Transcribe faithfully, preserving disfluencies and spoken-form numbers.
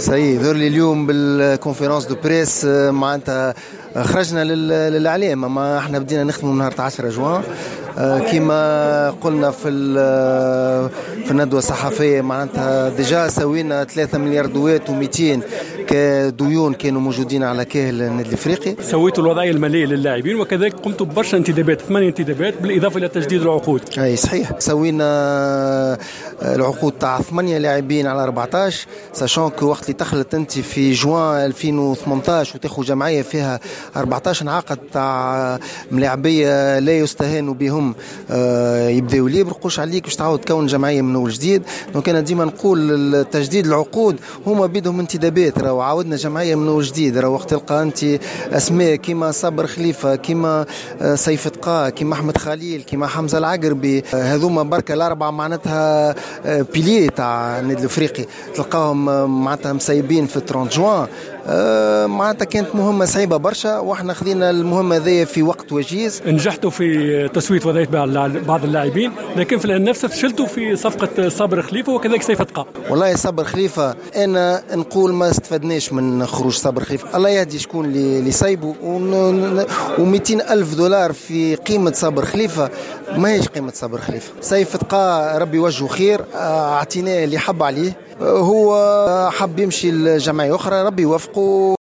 سي ذر لي اليوم بال conférence de presse معناتها خرجنا للاعلام، ما احنا بدينا نخدموا من نهار عشرة جوان كما قلنا في في الندوة الصحفية، معناتها déjà سوينا ثلاثة مليار دوات ومئتين كديون كانوا موجودين على كاهل النادي الافريقي. سويتوا الوضعية المالية للاعبين وكذلك قمتوا ببرشا انتدابات، ثمانية انتدابات بالاضافة الى تجديد العقود. اي صحيح، سوينا العقود تاع ثمانية لاعبين على أربعطاش، sachant que وقت اللي دخلت انت في جوان ألفين وثمنطاش وتاخذ جمعية فيها أربعطاش عقد تاع ملاعبيه لا يستهان بهم يبداو libres، قوش عليك باش تعاود تكون جمعية من اول جديد. donc انا ديما نقول تجديد العقود هما بيدهم انتدابات، راهو عاودنا جمعية من اول جديد. راهو وقت تلقى انت اسماء كيما صابر خليفة، كيما سيف تقا، كيما احمد خليل، كيما حمزة العقربي، هذوما بركة الاربعة معناتها piliers تاع النادي الافريقي، تلقاهم معناتها مسيبين في ثلاثين جوان. معناتها كانت مهمة صعيبة برشا واحنا خذينا المهمة هذيا في وقت وجيز. نجحتوا في تسويه وضعية بعض اللاعبين، لكن في الآن نفسه فشلتوا في صفقة صابر خليفة وكذلك سيف تقا. والله صابر خليفة انا نقول ما استفدناش من خروج صابر خليفة، الله يهدي شكون اللي سايبه، ومئتين ألف دولار في قيمة صابر خليفة ما هيش قيمة صابر خليفة. سيف تقا ربي وجهه خير، اعطيناه اللي حب عليه، هو حب يمشي لجمعية اخرى ربي يوفقه.